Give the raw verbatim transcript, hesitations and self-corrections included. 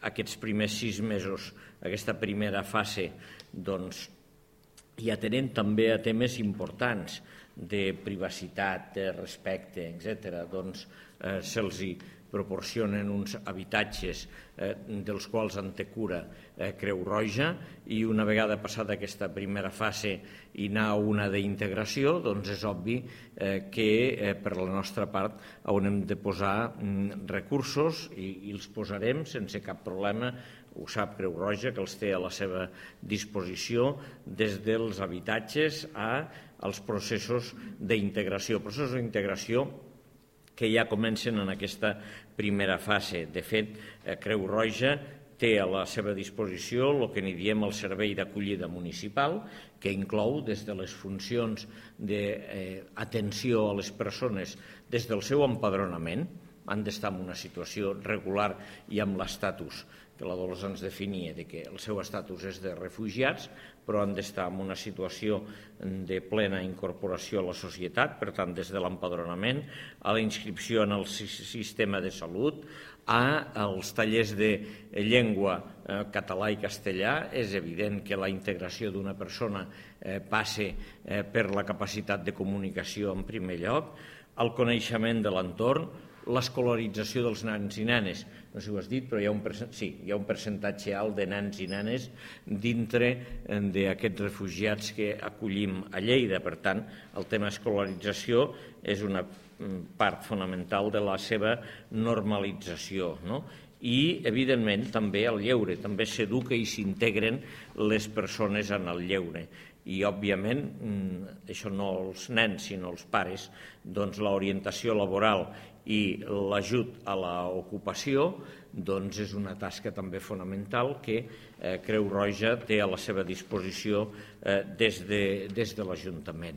aquests primers sis mesos, aquesta primera fase, doncs, i atenent també a temes importants de privacitat, de respecte, etcètera, doncs eh, se'ls proporcionen uns habitatges eh, dels quals en té cura eh, Creu Roja, i una vegada passada aquesta primera fase i anar a una d'integració, doncs és obvi eh, que eh, per la nostra part haurem de posar mm, recursos i, i els posarem sense cap problema. Ho sap Creu Roja, que els té a la seva disposició, des dels habitatges als processos d'integració. Processos d'integració que ja comencen en aquesta primera fase. De fet, Creu Roja té a la seva disposició el que n'hi diem el servei d'acollida municipal, que inclou des de les funcions d'atenció a les persones des del seu empadronament, han d'estar en una situació regular i amb l'estatus que la Dolors ens definia, de que el seu estatus és de refugiats, però han d'estar en una situació de plena incorporació a la societat, per tant, des de l'empadronament, a la inscripció en el sistema de salut, als tallers de llengua català i castellà. És evident que la integració d'una persona passa per la capacitat de comunicació en primer lloc, el coneixement de l'entorn, l'escolarització dels nens i nenes. No sé si ho has dit, però hi ha un, sí, hi ha un percentatge alt de nens i nenes dintre d'aquests refugiats que acollim a Lleida. Per tant, el tema escolarització és una part fonamental de la seva normalització, no? I, evidentment, també el lleure. També s'educa i s'integren les persones en el lleure. I, òbviament, això no els nens, sinó els pares, doncs l'orientació laboral i l'ajut a l'ocupació doncs és una tasca també fonamental que Creu Roja té a la seva disposició des de l'Ajuntament.